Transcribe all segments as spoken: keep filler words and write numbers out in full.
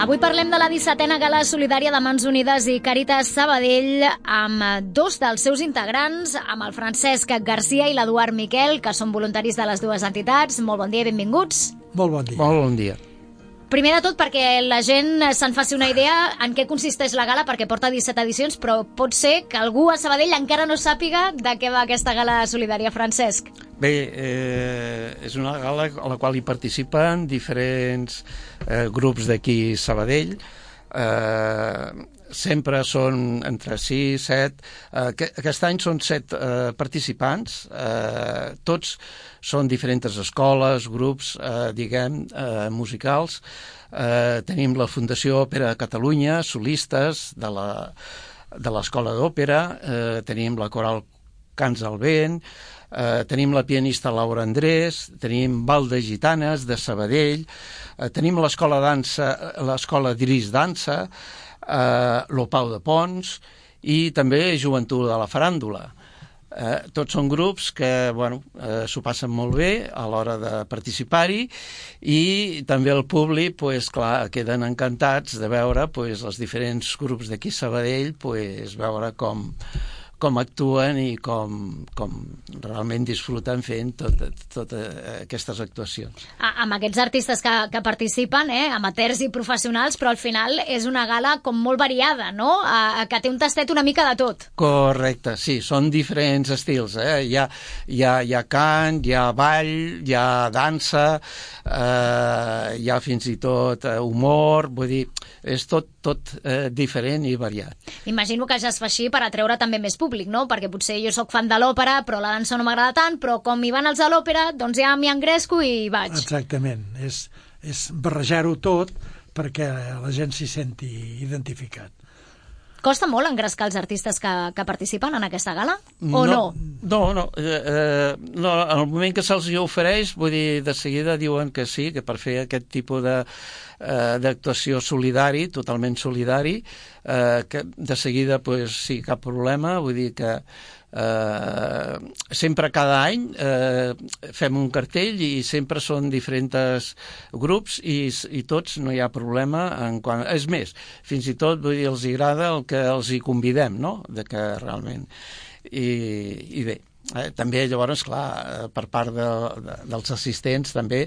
Avui parlem de la dissetena gala solidària de Mans Unides i Càritas Sabadell amb dos dels seus integrants, amb el Francesc Garcia i l'Eduard Miquel, que són voluntaris de les dues entitats. Molt bon dia i benvinguts. Molt bon dia. Molt bon dia. Primer de tot, perquè la gent se'n faci una idea en què consisteix la gala, perquè porta disset edicions, però pot ser que algú a Sabadell encara no sàpiga de què va aquesta gala solidària, Francesc. Bé, eh, és una gala a la qual hi participen diferents eh, grups d'aquí Sabadell. Eh, sempre són entre sis, set... Eh, aquest any són set eh, participants. Eh, tots són diferents escoles, grups, eh, diguem, eh, musicals. Eh, tenim la Fundació Òpera Catalunya, solistes de la, de l'Escola d'Òpera. Eh, tenim la Coral Cants al Vent. Eh, tenim la pianista Laura Andrés, tenim Ball de Gitanes de Sabadell, eh, tenim l'escola dansa, l'escola d'Iris Dansa, eh, l'Opau de Pons i també Joventut de la Faràndula. Eh, tots són grups que bueno, eh, s'ho passen molt bé a l'hora de participar-hi i també el públic pues, clar, queden encantats de veure pues, els diferents grups d'aquí Sabadell pues, veure com com actuen i com, com realment disfruten fent totes tot aquestes actuacions. A, amb aquests artistes que, que participen, eh, amateurs i professionals, però al final és una gala com molt variada, no? A, que té un tastet una mica de tot. Correcte, sí, són diferents estils. Eh? Hi ha, hi ha, hi ha cant, hi ha ball, hi ha dansa, eh, hi ha fins i tot humor, vull dir, és tot, tot eh, diferent i variat. Imagino que ja es fa així per atreure també més públic, no? Perquè potser jo sóc fan de l'òpera, però la dansa no m'agrada tant, però com hi van els a l'òpera, doncs ja m'hi engresco i vaig. Exactament, és, és barrejar-ho tot perquè la gent s'hi senti identificat. Costa molt engrescar els artistes que, que participen en aquesta gala? O no? No, no. no, eh, no en el moment que se'ls ofereix, vull dir, de seguida diuen que sí, que per fer aquest tipus de eh, d'actuació solidari, totalment solidari, eh, que de seguida, pues, sí, cap problema, vull dir que eh, sempre cada any eh, fem un cartell i sempre són diferents grups i, i tots no hi ha problema en quant... És més, fins i tot vull dir, els agrada el que els hi convidem, no? De que realment... I, i bé, eh, també llavors, clar, per part de, de, dels assistents també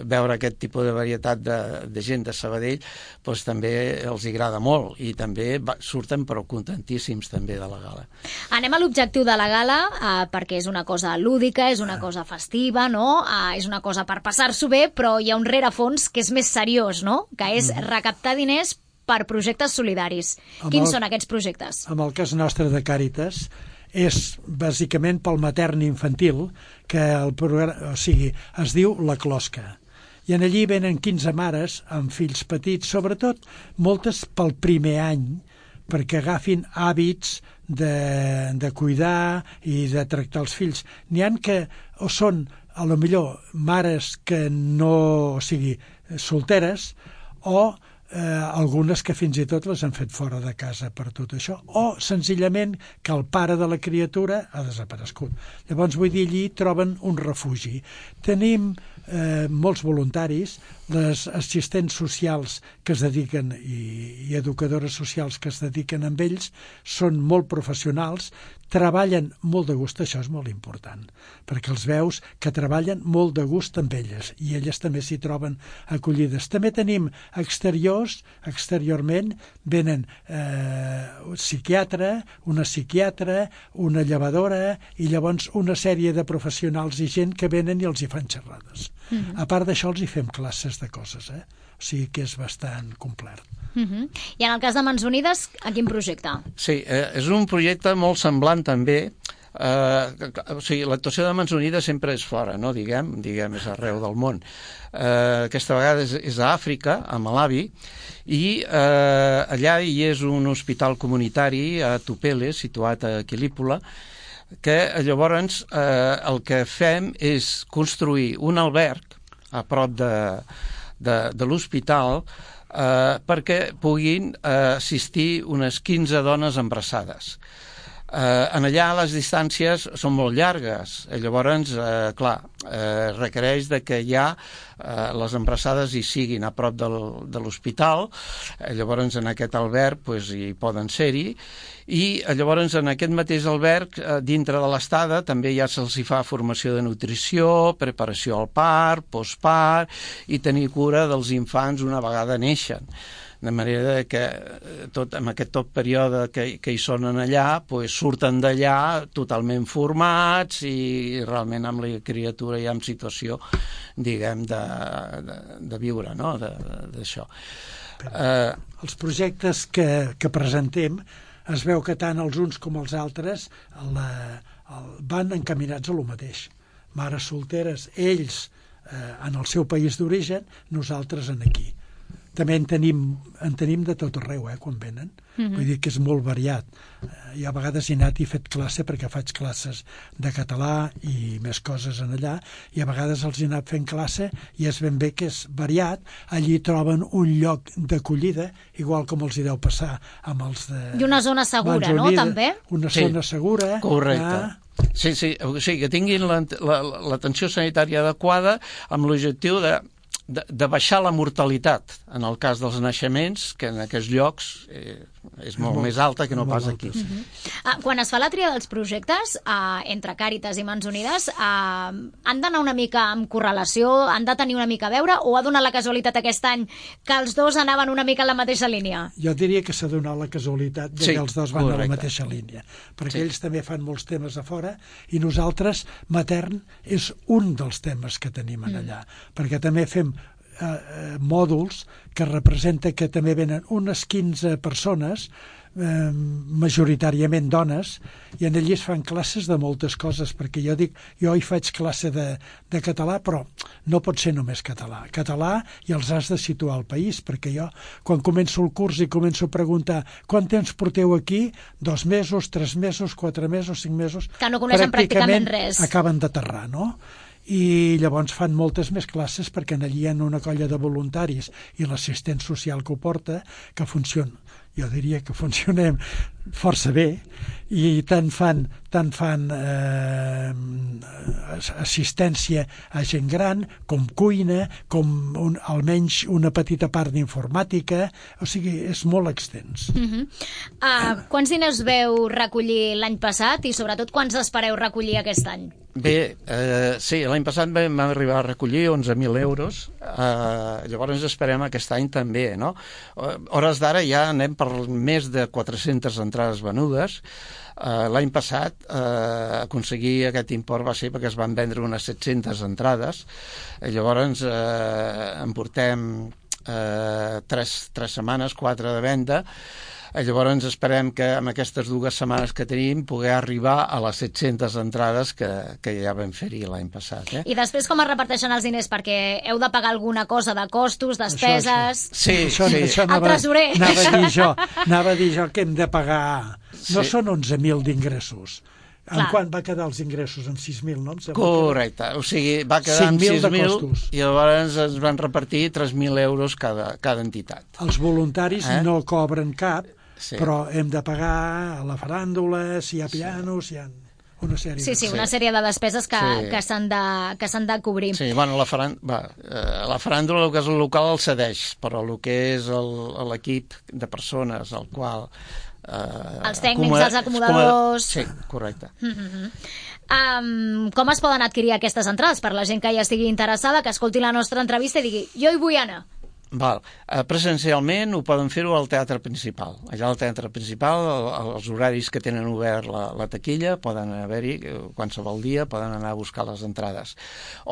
veure aquest tipus de varietat de, de gent de Sabadell doncs també els agrada molt i també va, surten però contentíssims també de la gala. Anem a l'objectiu de la gala, eh, perquè és una cosa lúdica, és una cosa festiva, no? Eh, és una cosa per passar-s'ho bé, però hi ha un rerefons que és més seriós, no? Que és recaptar diners per projectes solidaris. Amb Quins el, són aquests projectes? En el cas nostre de Càritas és bàsicament pel matern infantil, que el programa, o sigui, es diu La Closca. I en allí venen quinze mares amb fills petits, sobretot moltes pel primer any, perquè agafin hàbits de, de cuidar i de tractar els fills. N'hi ha que o són, a lo millor, mares que no, o sigui, solteres, o Eh, algunes que fins i tot les han fet fora de casa per tot això, o senzillament que el pare de la criatura ha desaparegut. Llavors, vull dir, allí troben un refugi. Tenim eh, molts voluntaris, les assistents socials que es dediquen i, i educadores socials que es dediquen amb ells són molt professionals, treballen molt de gust, això és molt important, perquè els veus que treballen molt de gust amb elles i elles també s'hi troben acollides. També tenim exteriors, exteriorment venen eh, un psiquiatre, una psiquiatra, una llevadora i llavors una sèrie de professionals i gent que venen i els hi fan xerrades. Mm-hmm. A part d'això els hi fem classes de coses, eh? O sigui que és bastant complet. Uh-huh. I en el cas de Mans Unides, a quin projecte? Sí, eh, és un projecte molt semblant també. Eh, o sigui, l'actuació de Mans Unides sempre és fora, no? Diguem, diguem és arreu del món. Eh, aquesta vegada és, és a Àfrica, a Malawi, i eh, allà hi és un hospital comunitari a Tupele, situat a Quilípola, que llavors eh, el que fem és construir un alberg a prop de, de, de l'hospital eh, perquè puguin eh, assistir unes quinze dones embarassades. Eh, en allà les distàncies són molt llargues, eh, llavors, eh, clar, eh, requereix de que ja eh, les embarassades hi siguin a prop del, de l'hospital, eh, llavors en aquest alberg pues, hi poden ser-hi, i eh, llavors en aquest mateix alberg, eh, dintre de l'estada, també ja se'ls hi fa formació de nutrició, preparació al part, postpart, i tenir cura dels infants una vegada neixen. De manera que tot, en aquest tot període que, que hi són allà pues, surten d'allà totalment formats i realment amb la criatura ja en situació, diguem, de, de, de viure, no?, d'això. Uh, els projectes que, que presentem es veu que tant els uns com els altres la, el, van encaminats a lo mateix. Mares solteres, ells eh, en el seu país d'origen, nosaltres en aquí. També en tenim, en tenim de tot arreu, eh, quan venen. Mm-hmm. Vull dir que és molt variat. Eh, I a vegades he anat i he fet classe perquè faig classes de català i més coses en allà, i a vegades els he anat fent classe i és ben bé que és variat. Allí troben un lloc d'acollida, igual com els hi deu passar amb els de... I una zona segura, Manzonida, no?, també? Una sí, zona segura. Correcte. Ah. Sí, sí, o sigui, que tinguin l'atenció sanitària adequada amb l'objectiu de De, de baixar la mortalitat en el cas dels naixements, que en aquests llocs eh, és molt, molt més alta que no pas aquí. Uh-huh. ah, quan es fa la tria dels projectes eh, entre Càritas i Mans Unides, eh, han d'anar una mica amb correlació, han de tenir una mica a veure, o ha donat la casualitat aquest any que els dos anaven una mica en la mateixa línia? Jo diria que s'ha donat la casualitat de sí, que els dos van correcte. A la mateixa línia, perquè sí. Ells també fan molts temes a fora i nosaltres, matern, és un dels temes que tenim en allà, mm. perquè també fem Eh, eh, mòduls que representa que també venen unes quinze persones, eh, majoritàriament dones, i en allí es fan classes de moltes coses, perquè jo dic, jo hi faig classe de, de català, però no pot ser només català. Català i els has de situar al país, perquè jo, quan començo el curs i començo a preguntar quant temps porteu aquí, dos mesos, tres mesos, quatre mesos, cinc mesos... Que no coneixen pràcticament, pràcticament res. Acaben d'aterrar, no? I llavors fan moltes més classes perquè allí hi ha una colla de voluntaris i l'assistent social que ho porta, que funciona, jo diria que funcionem força bé, i tant fan, tant fan eh, assistència a gent gran, com cuina, com un, almenys una petita part d'informàtica, o sigui, és molt extens. Uh-huh. uh, quants diners veu recollir l'any passat i sobretot quants espereu recollir aquest any? Bé, eh, sí, l'any passat vam arribar a recollir onze mil euros, eh, llavors esperem aquest any també, no? Hores d'ara ja anem per més de quatre-centes entrades venudes. Uh, l'any passat uh, aconseguir aquest import va ser perquè es van vendre unes set-centes entrades. Uh, llavors uh, en portem uh, tres, tres setmanes, quatre de venda. Uh, llavors esperem que amb aquestes dues setmanes que tenim poder arribar a les set-centes entrades que, que ja vam fer-hi l'any passat. Eh? I després com es reparteixen els diners? Perquè heu de pagar alguna cosa de costos, despeses... Això, això. Sí, això, sí. Això anava, el tresorer. Anava a dir jo, anava a dir jo que hem de pagar... No sí. Són onze mil d'ingressos. En Clar. quant va quedar els ingressos? En sis mil, no? Correcte. O sigui, va quedar en sis mil i llavors es van repartir tres mil euros cada, cada entitat. Els voluntaris eh? no cobren cap, sí. però hem de pagar a la faràndula, si hi ha pianos, si hi ha... Una sèrie sí, sí, de... una sèrie de despeses que, sí. que s'han de, que s'han de cobrir. Sí, bueno, la, faran... Va, eh, la faràndula, el que és el local, el cedeix, però el que és l'equip de persones, el qual... Eh, els tècnics, acomod... els acomodadors... Sí, correcte. Mm-hmm. Um, com es poden adquirir aquestes entrades per la gent que ja estigui interessada, que escolti la nostra entrevista i digui, jo hi vull anar? Val. Uh, presencialment ho poden fer-ho al teatre principal. Allà al teatre principal, el, els horaris que tenen obert la, la taquilla, poden haver-hi qualsevol dia, poden anar a buscar les entrades.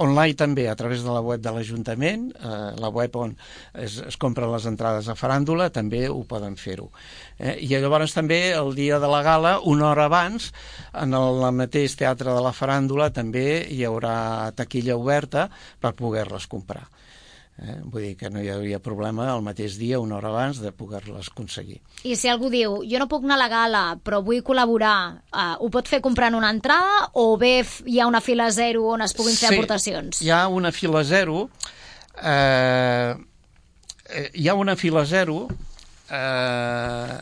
Online també, a través de la web de l'Ajuntament, uh, la web on es, es compren les entrades a faràndula, també ho poden fer-ho. Eh? I llavors també el dia de la gala, una hora abans, en el mateix teatre de la faràndula també hi haurà taquilla oberta per poder-les comprar. Eh? Vull dir que no hi hauria problema el mateix dia, una hora abans, de poder-les aconseguir. I si algú diu, jo no puc anar a la gala, però vull col·laborar, uh, ho pot fer comprant una entrada o bé hi ha una fila zero on es puguin fer sí, aportacions? Hi ha una fila zero, eh, hi ha una fila zero eh,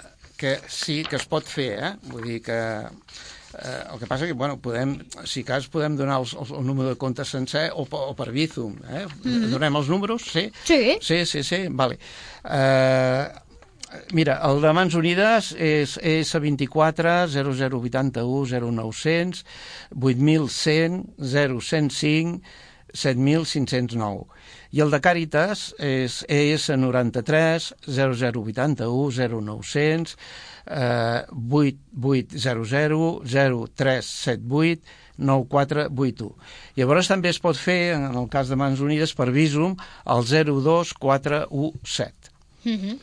que sí que es pot fer, eh? Vull dir que eh, el que passa que, bueno, podem, si cas, podem donar els, el, el número de compte sencer o, o per Bizum, eh? Mm-hmm. Donem els números, sí? Sí. Sí, sí, sí, vale. Eh, mira, el de Mans Unides és E S vint-i-quatre zero zero vuitanta-u zero nou-cents, vuit mil cent zero cent cinc set mil cinc-cents nou. I el de Càritas és E S noranta-tres zero zero vuitanta-u zero nou-cents, eh, vuit vuit zero zero zero tres set vuit nou quatre vuit u. Llavors també es pot fer, en el cas de Mans Unides, per Bizum, al zero dos quatre u set. Mm-hmm.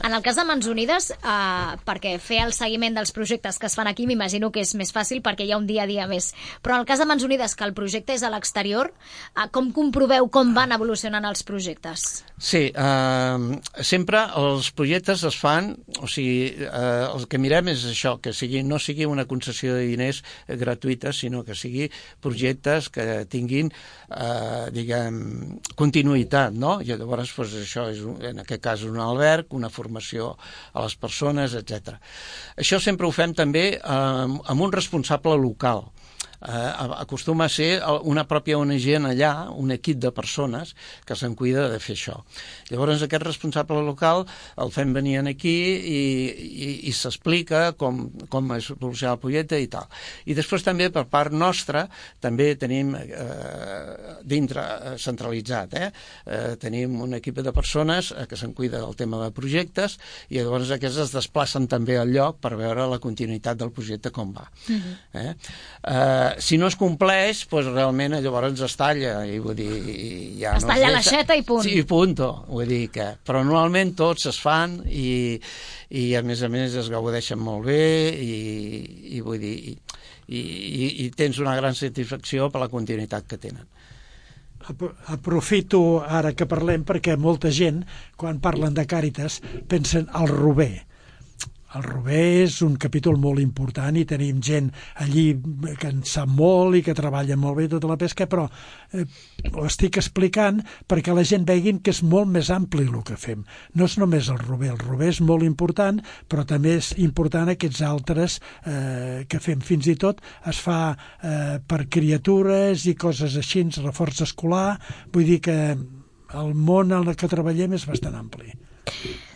En el cas de Mans Unides, eh, perquè fer el seguiment dels projectes que es fan aquí m'imagino que és més fàcil perquè hi ha un dia a dia més, però en el cas de Mans Unides, que el projecte és a l'exterior, eh, com comproveu com van evolucionant els projectes? Sí, eh, sempre els projectes es fan, o sigui, eh, el que mirem és això, que sigui, no sigui una concessió de diners eh, gratuïta, sinó que sigui projectes que tinguin, eh, diguem, continuïtat, no? I llavors, doncs, això és, en aquest cas, un alberg, una formació a les persones, etcètera. Això sempre ho fem també eh, amb un responsable local. Eh, acostuma a ser una pròpia O N G en allà, un equip de persones que se'n cuida de fer això. Llavors aquest responsable local el fem venir aquí i, i, i s'explica com, com es evoluciona el projecte i tal. I després també per part nostra també tenim eh, dintre eh, centralitzat, eh? Eh, tenim un equip de persones eh, que se'n cuida del tema de projectes i llavors aquests es desplacen també al lloc per veure la continuïtat del projecte com va. Mm-hmm. eh? Eh, si no es compleix, doncs realment llavors es talla, i vull dir, ja es no talla es l'aixeta i punt. Sí, i punto. Vull dir que, però normalment tots es fan i, i a més a més es gaudeixen molt bé i, i vull dir, i, i, i tens una gran satisfacció per la continuïtat que tenen. Aprofito ara que parlem perquè molta gent, quan parlen de Càritas, pensen al Rober. El Rober és un capítol molt important i tenim gent allí que en sap molt i que treballa molt bé tota la pesca, però eh, ho estic explicant perquè la gent veguin que és molt més ampli el que fem. No és només el Rober, el Rober és molt important, però també és important aquests altres eh, que fem. Fins i tot es fa eh, per criatures i coses així, reforç escolar, vull dir que el món en el que treballem és bastant ampli.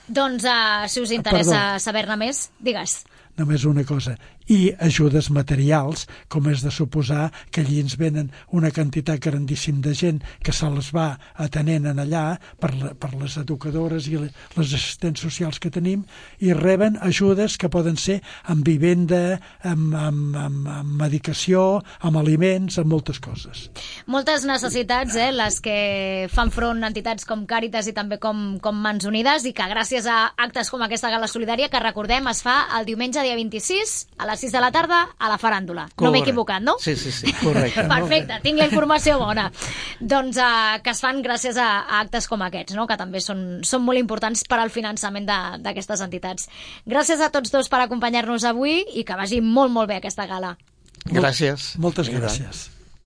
Doncs, uh, si us interessa saber-ne més, digues. Només una cosa. I ajudes materials, com és de suposar que allí ens venen una quantitat grandíssim de gent que se les va atenent en allà per, la, per les educadores i les assistents socials que tenim i reben ajudes que poden ser amb vivenda, amb, amb, amb, amb medicació, amb aliments, amb moltes coses. Moltes necessitats, eh, les que fan front entitats com Càritas i també com, com Mans Unides i que gràcies a actes com aquesta gala solidària que recordem es fa el diumenge dia vint-i-sis a les sis de la tarda a la faràndula. Correcte. No m'he equivocat, no? Sí, sí, sí, correcte. Perfecte, tinc la informació bona. Doncs uh, que es fan gràcies a, a actes com aquests, no? Que també són, són molt importants per al finançament d'aquestes entitats. Gràcies a tots dos per acompanyar-nos avui i que vagi molt, molt bé aquesta gala. Gràcies. Moltes gràcies.